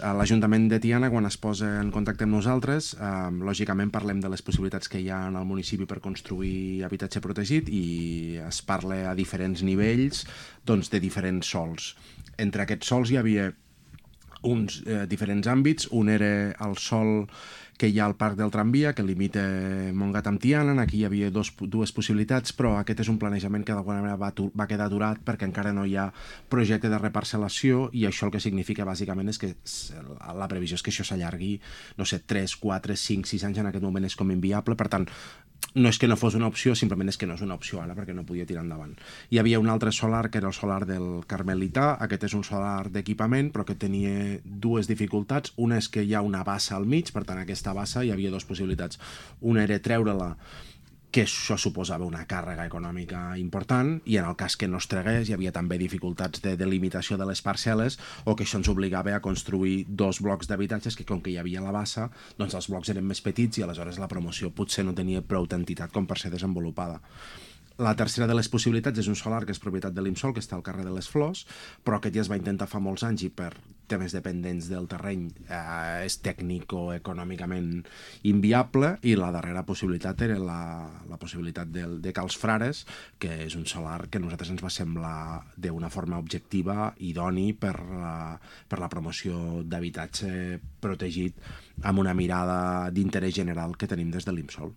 L'Ajuntament de Tiana, quan es posa en contacte amb nosaltres, lògicament parlem de les possibilitats que hi ha en el municipi per construir habitatge protegit i es parla a diferents nivells de diferents sols. Entre aquests sols hi havia uns diferents àmbits. Un era el sòl que hi ha al Parc del Tramvia, que limita Montgat amb Tiana. Aquí hi havia dues possibilitats, però aquest és un planejament que d'alguna manera va quedar aturat perquè encara no hi ha projecte de reparcel·lació, i això el que significa bàsicament és que la previsió és que això s'allargui, no sé, 3, 4, 5, 6 anys. En aquest moment és com inviable. Per tant, no és que no fos una opció, simplement és que no és una opció ara perquè no podia tirar endavant. Hi havia un altre solar, que era el solar del Carmelità. Aquest és un solar d'equipament, però que tenia dues dificultats. Una és que hi ha una bassa al mig, per tant aquesta bassa hi havia dues possibilitats. Una era treure-la, que això suposava una càrrega econòmica important, i en el cas que no es tragués hi havia també dificultats de delimitació de les parcel·les, o que això ens obligava a construir 2 blocs d'habitatges que, com que hi havia la bassa, doncs els blocs eren més petits i aleshores la promoció potser no tenia prou entitat com per ser desenvolupada. La tercera de les possibilitats és un solar que és propietat de l'Imsol, que està al carrer de les Flors, però aquest ja es va intentar fa molts anys i per temes dependents del terreny és tècnic o econòmicament inviable. I la darrera possibilitat era la possibilitat de Cals Frares, que és un solar que a nosaltres ens va semblar d'una forma objectiva idoni per la promoció d'habitatge protegit amb una mirada d'interès general que tenim des de l'Imsol.